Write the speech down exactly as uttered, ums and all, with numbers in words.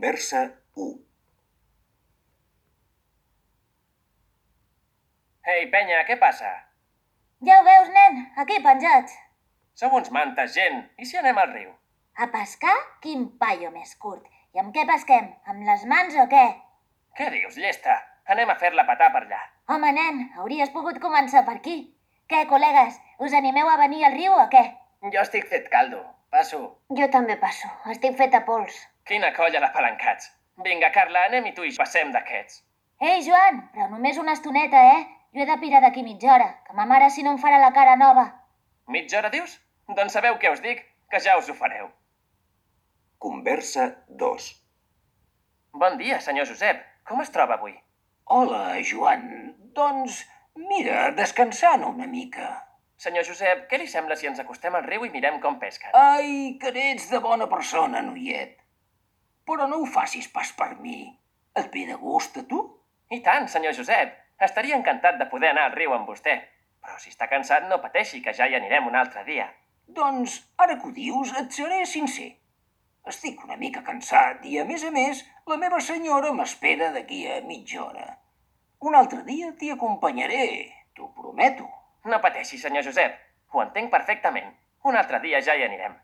Conversa u. Ei, penya, què passa? Ja ho veus, nen? Aquí penjats. Sou uns mantes, gent. I si anem al riu? A pescar? Quin paio més curt. I amb què pesquem? Amb les mans o què? Què dius, llesta? Anem a fer-la petar per allà. Home, nen, hauries pogut començar per aquí. Què, col·legues? Us animeu a venir al riu o què? Jo estic fet caldo. Passo. Jo també passo. Estic feta pols. Quina colla de palancats. Vinga, Carla, anem i tu i passem d'aquests. Ei, Joan, però només una estoneta, eh? Jo he de pirar d'aquí mitja hora, que ma mare si no em farà la cara nova. Mitja hora, dius? Doncs sabeu què us dic? Que ja us ho fareu. Conversa dos. Bon dia, senyor Josep. Com es troba avui? Hola, Joan. Doncs, mira, descansant una mica. Senyor Josep, què li sembla si ens acostem al riu i mirem com pesquen? Ai, que n'ets de bona persona, noiet. Però no ho facis pas per mi. Et ve de gust, a tu? I tant, senyor Josep. Estaria encantat de poder anar al riu amb vostè. Però si està cansat, no pateixi, que ja hi anirem un altre dia. Doncs, ara que ho dius, et seré sincer. Estic una mica cansat i, a més a més, la meva senyora m'espera d'aquí a mitja hora. Un altre dia t'hi acompanyaré, t'ho prometo. No pateixi, senyor Josep. Ho entenc perfectament. Un altre dia ja hi anirem.